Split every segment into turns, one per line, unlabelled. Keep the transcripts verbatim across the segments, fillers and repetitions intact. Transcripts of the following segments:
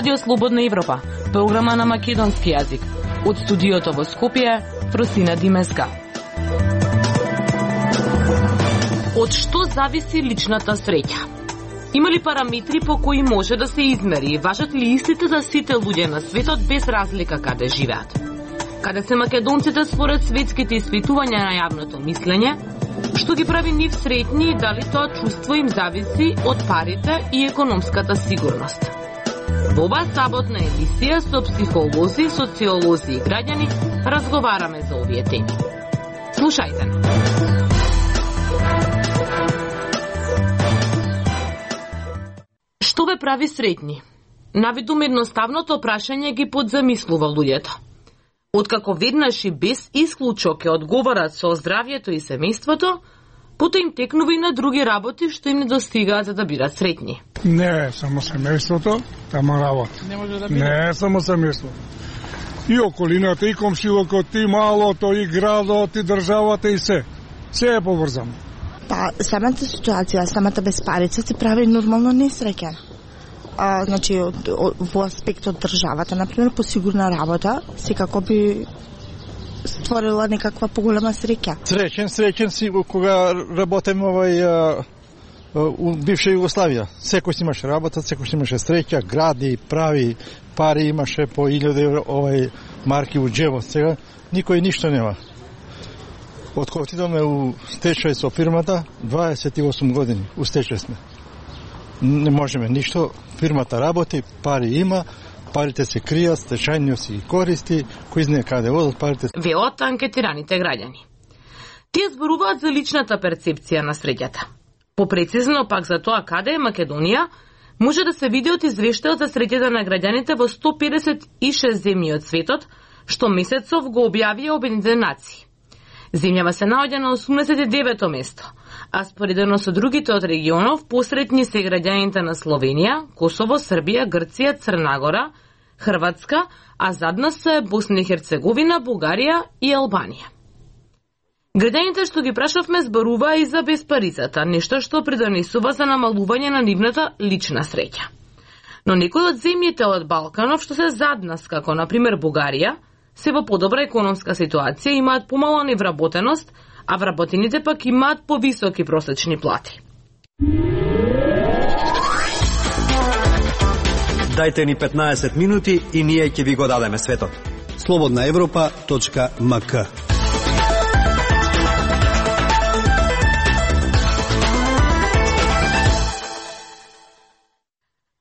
Радио Слободна Европа, програма на македонски јазик. Од студиото во Скопје, Фросина Димеска. Од што зависи личната среќа? Има ли параметри по кои може да се измери? Важат ли истите за сите луѓе на светот без разлика каде живеат? Каде се македонците според светските испитувања на јавното мислење? Што ги прави нив среќни и дали тоа чувство им зависи од парите и економската сигурност? Во оваа саботна емисија со психолози, социолози и граѓани разговараме за овие теми. Слушајте. Што ве прави среќни? Навидум едноставното прашање ги подзамислува луѓето. Откако веднаш и без исклучок ќе одговорат со здравјето и семејството, потоа им текнува и на други работи што им не достигаат за да бидат среќни.
Не само семејството, тама работа. Не може да биде. Не само семејството. И околината, и комшилокот, и малото, и градот, и државата, и се. Се е поврзано.
Па, самата ситуација, самата безпарица се прави нормално несреќен. А, значи, во аспект од државата, например, по сигурна работа, секако би створила некаква поголема среќа.
Среќен, среќен си кога работам овај у бивша Југославија. Секој си имаше работа, секој си имаше среќа, гради, прави, пари имаше по илјади овај марки у џебот. Сега никој ништо нема. Од кога отидоме у стечај со фирмата, дваесет и осум години у стечај сме. Не можеме ништо, фирмата работи, пари има, парите се кријат, стечајниот си ги користи, кој знае каде одат парите.
Велат анкетираните граѓани. Тие зборуваат за личната перцепција на среќата. Попрецизно пак за тоа каде е Македонија, може да се види од извештајот за среќата на граѓаните во сто педесет и шест земји од светот, што месецов го објавија Обединетите нации. Земјава се наоѓа на осумдесет и девето место, а споредено со другите од регионов, посретни се граѓаните на Словенија, Косово, Србија, Грција, Црна Гора, Хрватска, а зад нас се Босна и Херцеговина, Бугарија и Албанија. Граѓаните што ги прашавме зборуваа и за безпарицата, нешто што придонесува за намалување на нивната лична среќа. Но некои од земјите од Балканов што се зад нас, како например Бугарија, се во подобра економска ситуација, имаат помала невработеност, а вработените пак имаат повисоки просечни плати.
Дајте ни петнаесет минути и ние ќе ви го дадеме светот. слободна европа точка ем ка.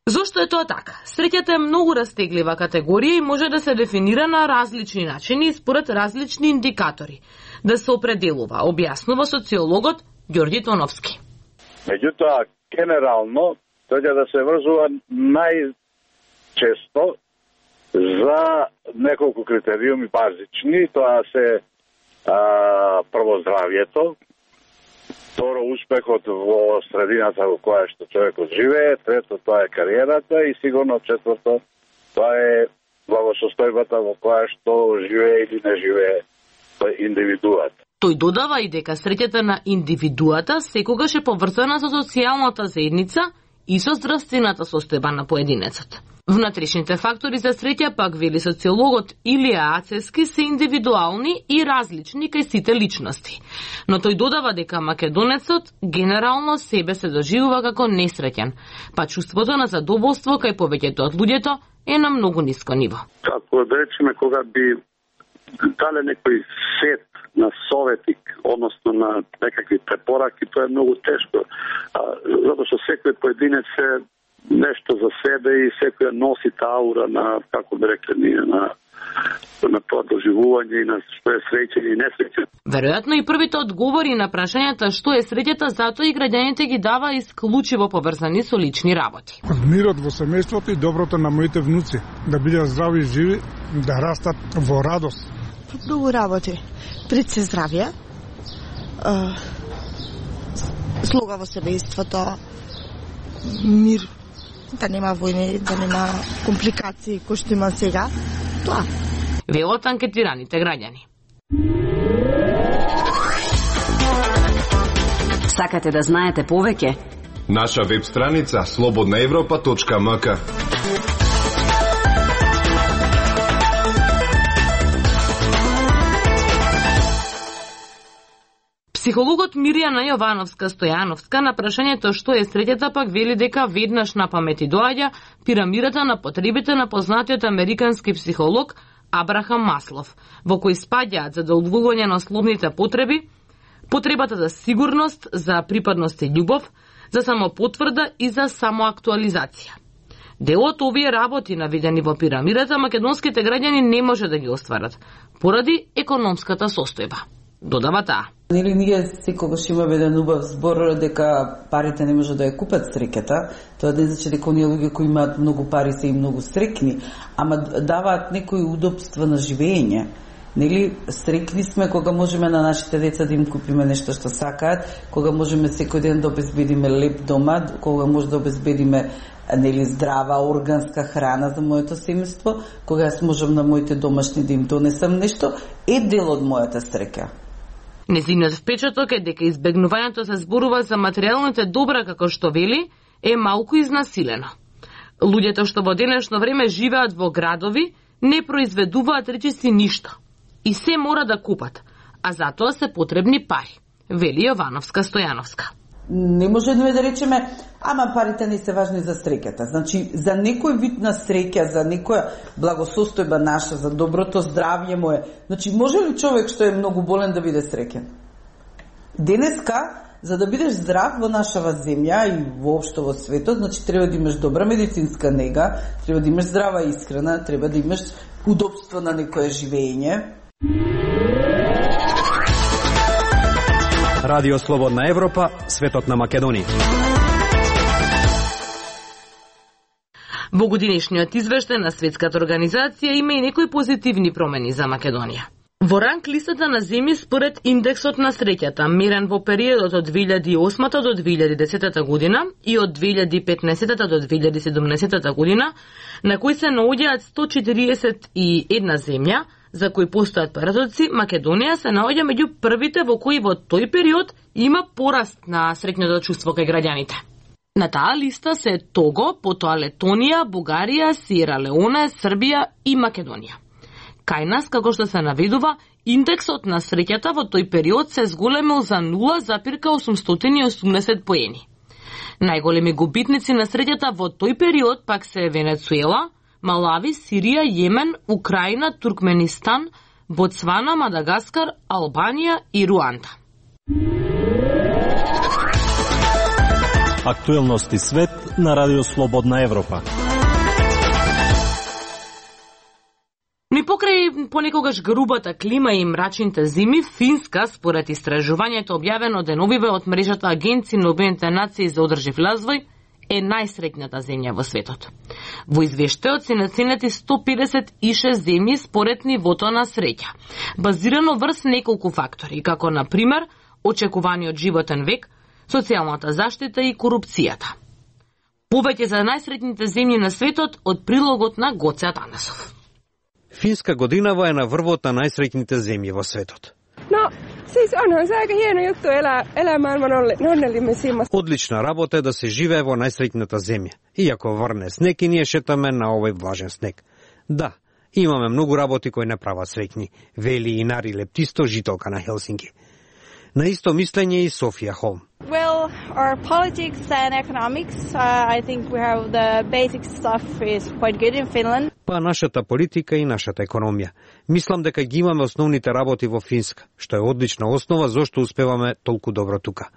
Зошто е тоа така? Среќата е многу растеглива категорија и може да се дефинира на различни начини и според различни индикатори. Да се определува, објаснува социологот Ѓорѓи Тоновски.
Меѓутоа, генерално, тоа да се врзува најчесто за неколку критериуми базични, тоа се а, прво здравјето, второ успехот во средината во која што човекот живее, трето тоа е кариерата и сигурно четврто тоа е благосостојбата во која што живее или не живее индивидуата.
Тој додава и дека среќата на индивидуата секогаш е поврзана со социјалната заедница и со здравствената состојба на поединецот. Внатрешните фактори за среќа, пак вели социологот Илија Ацески, се индивидуални и различни кај сите личности. Но тој додава дека македонецот генерално себе се доживува како несреќен, па чувството на задоволство кај повеќето од луѓето е на многу ниско ниво.
Како да речеме, кога би дале некој сет на совети, односно на некакви препораки, тоа е многу тешко, а, затоа што секој поединец е нешто за себе и секој носи таа аура на, како би рекле ние, на на тоа доживување и на што е среќен и несреќен.
Веројатно и првите одговори на прашањата што е среќата, затоа и граѓаните ги дава исклучиво поврзани со лични работи.
Мирот во семејството и доброто на моите внуци, да бидат здрави и живи, да растат во радост.
Многу работи. Пред се здравје, слога во семејството, мир, да нема војни, да нема компликации кои што има сега. Тоа.
Велат анкетираните граѓани.
Сакате да знаете повеќе?
Наша веб страница слободна европа точка ем ка.
Психологот Мирјана Јовановска-Стојановска на прашањето што е среќата пак вели дека веднаш на памети доаѓа пирамидата на потребите на познатиот американски психолог Абрахам Маслов, во кој спаѓаат задоволување на основните потреби, потребата за сигурност, за припадност и љубов, за самопотврда и за самоактуализација. Дел од овие работи наведени во пирамидата македонските граѓани не може да ги остварат поради економската состојба. Додава таа.
Нели ние секогаш имаме еден убав збор дека парите не може да ја купат среќата. Тоа не значи дека оние луѓе кои имаат многу пари се и многу среќни, ама даваат некои удобства на живење. Нели среќни сме кога можеме на нашите деца да им купиме нешто што сакаат, кога можеме секој ден да обезбедиме леп дома, кога може да обезбедиме нели здрава органска храна за моето семејство, кога јас можам на моите домашни да им донесам нешто, е дел од мојата среќа.
Незиниот впечаток е дека избегнувањето се зборува за материјалните добра, како што вели, е малку изнасилено. Луѓето што во денешно време живеат во градови не произведуваат речиси ништо и се мора да купат, а затоа се потребни пари, вели Јовановска-Стојановска.
Не можеме да речеме, ама парите не се важни за среќата. Значи, за некој вид на среќа, за некоја благосостојба наша, за доброто здравје мое, значи, може ли човек што е многу болен да биде среќен? Денеска, за да бидеш здрав во нашава земја и воопшто во светот, значи, треба да имаш добра медицинска нега, треба да имаш здрава исхрана, треба да имаш удобство на некое живење.
Радио Слободна Европа, светот на Македонија.
Во годинешниот извештај на Светската организација има и некои позитивни промени за Македонија. Во ранг листата на земји според индексот на среќата, мерен во периодот од две илјади и осма до две илјади и десета година и од две илјади и петнаесета до две илјади и седумнаесета година, на кои се наоѓаат сто четириесет и една земја, за кои постојат парадокси, Македонија се наоѓа меѓу првите во кои во тој период има пораст на среќното чувство кај граѓаните. На таа листа се Того, потоа Летонија, Бугарија, Сиера Леоне, Србија и Македонија. Кај нас, како што се наведува, индексот на среќата во тој период се зголемил за нула запирка осумстотини и осумдесет поени. Најголеми губитници на среќата во тој период пак се Венецуела, Малави, Сирија, Јемен, Украина, Туркменистан, Ботсвана, Мадагаскар, Албанија и Руанда.
Актуелности свет на Радио Слободна Европа.
Ни покрај понекогаш грубата клима и мрачните зими, Финска, според истражувањето објавено деновиве од мрежата Агенција на Обединетите нации за одржив развој, е најсреќната земја во светот. Во извештајот се наценети сто педесет и шест земји според нивото на среќа, базирано врз неколку фактори, како на пример очекуваниот животен век, социјалната заштита и корупцијата. Повеќе за најсреќните земји на светот од прилогот на Гоце Атанасов.
Финска годинава е на врвот на најсреќните земји во светот.
No, siis onhan se aika hieno juttu elää, elää maailman onnellisimmassa.
Одлична работа е да се живее во најсреќната земја. Иако врне снег и ние шетаме на овој влажен снег. Да, имаме многу работи кои не прават среќни, вели и Нари Лептисто, жителка на Хелсинки. На исто мислење и Софија Холм.
Well, our politics and economics, uh, I think we have the basic stuff is quite good in Finland.
Па нашата политика и нашата економија. Мислам дека ги имаме основните работи во Финска, што е одлична основа зошто успеваме толку добро тука.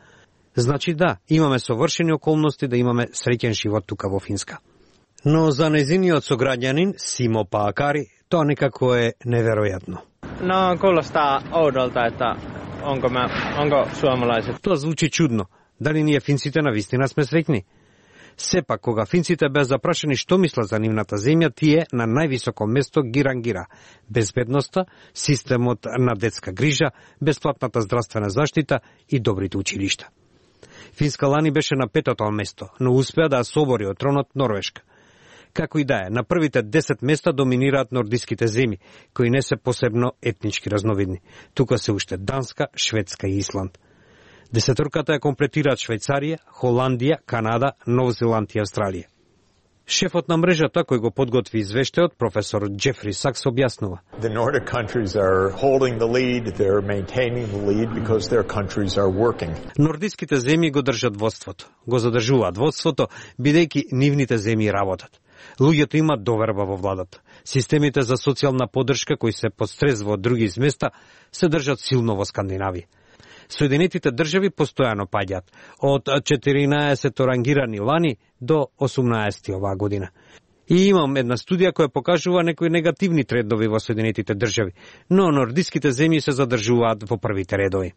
Значи да, имаме совршени околности да имаме среќен живот тука во Финска. Но за нејзиниот сограѓанин, Симо Паакари, тоа некако е неверојатно.
No, kuulostaa oudolta, että onko, mä, onko suomalaiset...
Тоа звучи чудно. Дали ние финците навистина сме среќни? Сепак, кога финците беа запрашани што мислат за нивната земја, тие на највисоко место ги рангира безбедноста, системот на детска грижа, бесплатната здравствена заштита и добрите училишта. Финска лани беше на петото место, но успеа да собори од тронот Норвешка. Како и да е, на првите десет места доминираат нордиските земји, кои не се посебно етнички разновидни. Тука се уште Данска, Шведска и Исланд. Десеторката ја комплетираат Швајцарија, Холандија, Канада, Нов Зеланд и Австралија. Шефот на мрежата кој го подготви извештајот, професор Джефри Сакс, објаснува.
The Nordic countries are holding the lead, they're maintaining the lead because their countries are working.
Нордиските земји го држат водството, го задржуваат водството, бидејќи нивните земји работат. Луѓето имаат доверба во владата. Системите за социјална поддршка кои се под стрес во други изместа се држат силно во Скандинавија. Соединетите држави постојано паѓаат, од четиринаесет рангирани лани до осумнаесет оваа година. И имам една студија која покажува некои негативни трендови во Соединетите држави, но нордиските земји се задржуваат во првите редови.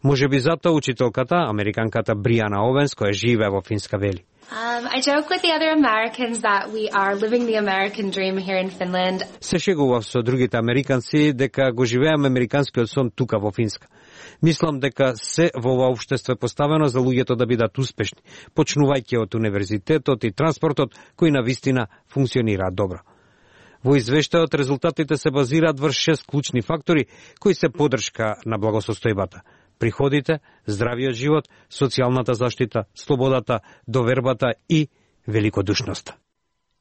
Можеби затоа учителката, американката Бриана Овенс, која живее во Финска, вели.
Um, I joke with the other Americans that we are living the American dream here in Finland.
Се шегував со другите американци дека го живееме американскиот сон тука во Финска. Мислам дека се во ова општество е поставено за луѓето да бидат успешни, почнувајќи од универзитетот и транспортот кои на вистина функционираат добро. Во извештајот резултатите се базираат врз шест клучни фактори кои се поддршка на благосостојбата: приходите, здравиот живот, социјалната заштита, слободата, довербата и великодушноста.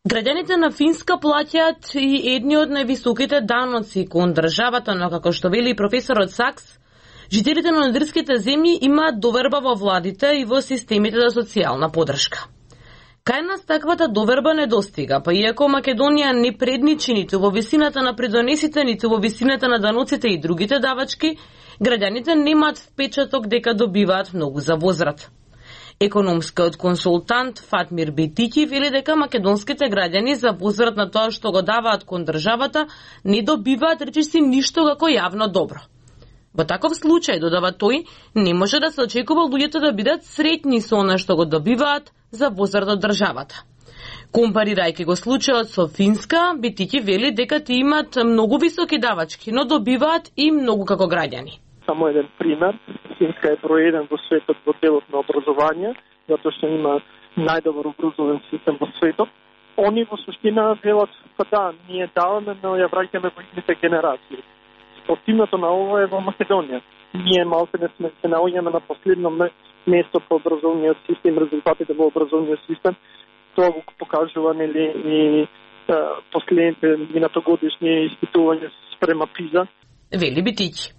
Граѓаните на Финска плаќаат и едни од највисоките даноци кон државата, но како што вели професорот Сакс, жителите на нордиските земји имаат доверба во владите и во системите за социјална поддршка. Кај нас таквата доверба не достига, па иако Македонија не предничи ниту во висината на придонесите, ниту во висината на даноците и другите давачки, граѓаните немаат впечаток дека добиваат многу за возврат. Економскиот консултант Фатмир Бетики вели дека македонските граѓани за возврат на тоа што го даваат кон државата не добиваат речиси ништо како јавно добро. Во таков случај, додава тој, не може да се очекува луѓето да бидат среќни со она што го добиваат за возврат од државата. Компарирајќи го случајот со Финска, Бетики вели дека ти имаат многу високи давачки, но добиваат и многу како граѓани.
Само еден пример, Финска е број еден во светот во делот на образование, затоа што има најдобар образовен систем во светот. Они во суштина велат, па да, ние даваме, но ја враќаме во идните генерации. Противното на ова е во Македонија. Ние малку не сме се наоѓаме на последно место по образовниот систем, резултатите во образовниот систем. Тоа го покажува нели и последните минатогодишни испитувања спрема ПИЗа.
Вели Бетики.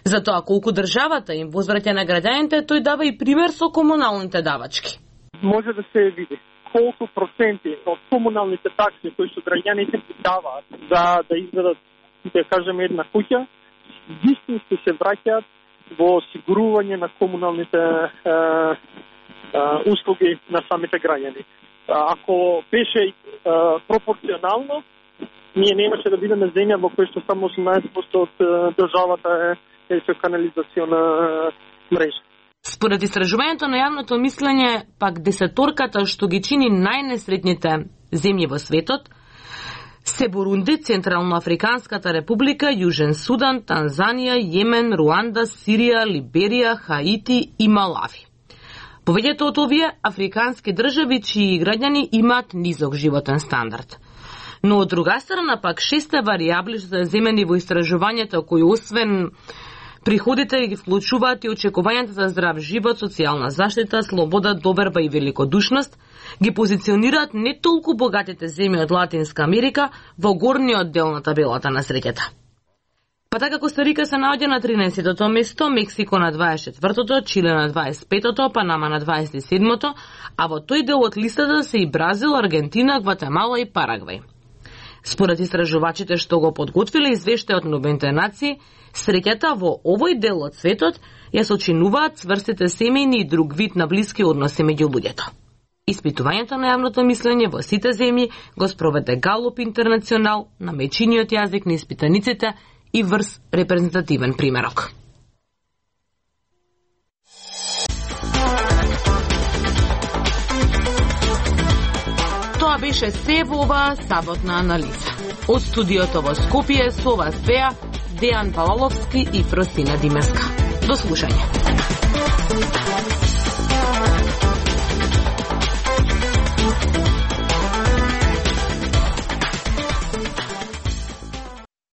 Затоа колку државата им возвраќа на граѓаните, тој дава и пример со комуналните давачки.
Може да се види колку проценти од комуналните такси кои што граѓаните даваат да да изведат, да кажеме, една куќа, вистински се враќаат во осигурување на комуналните е, е, услуги на самите граѓани. Ако беше е, пропорционално, ние немаше да бидеме земја во која што само осумнаесет проценти од државата е, е со канализациона мрежа.
Според истражувањето на јавното мислење, пак десеторката што ги чини најнесретните земји во светот се Бурунди, Централноафриканската република, Јужен Судан, Танзанија, Јемен, Руанда, Сирија, Либерија, Хаити и Малави. Повеќето од овие африкански држави чии граѓани имаат низок животен стандард. Но од друга страна пак шесте варијабли што се земени во истражувањето кои освен приходите ги вклучуваат и очекувањата за здрав живот, социјална заштита, слобода, доверба и великодушност, ги позиционираат не толку богатите земји од Латинска Америка во горниот дел на табелата на среќата. Па така Коста Рика се наоѓа на тринаесетото место, Мексико на дваесет и четвртото, Чиле на дваесет и петото, Панама на дваесет и седмото, а во тој дел од листата се и Бразил, Аргентина, Гватемала и Парагвај. Според истражувачите што го подготвиле извештајот на Обединетите нации, среќата во овој дел од светот ја сочинуваат цврстите семејни и друг вид на блиски односи меѓу луѓето. Испитувањето на јавното мислење во сите земји го спроведе Галуп Интернационал на мечиниот јазик на испитаниците и врз репрезентативен примерок. Тоа беше се во оваа саботна анализа. Од студиото во Скопје со вас беа Дејан Палаловски и Фросина Димеска. До слушање.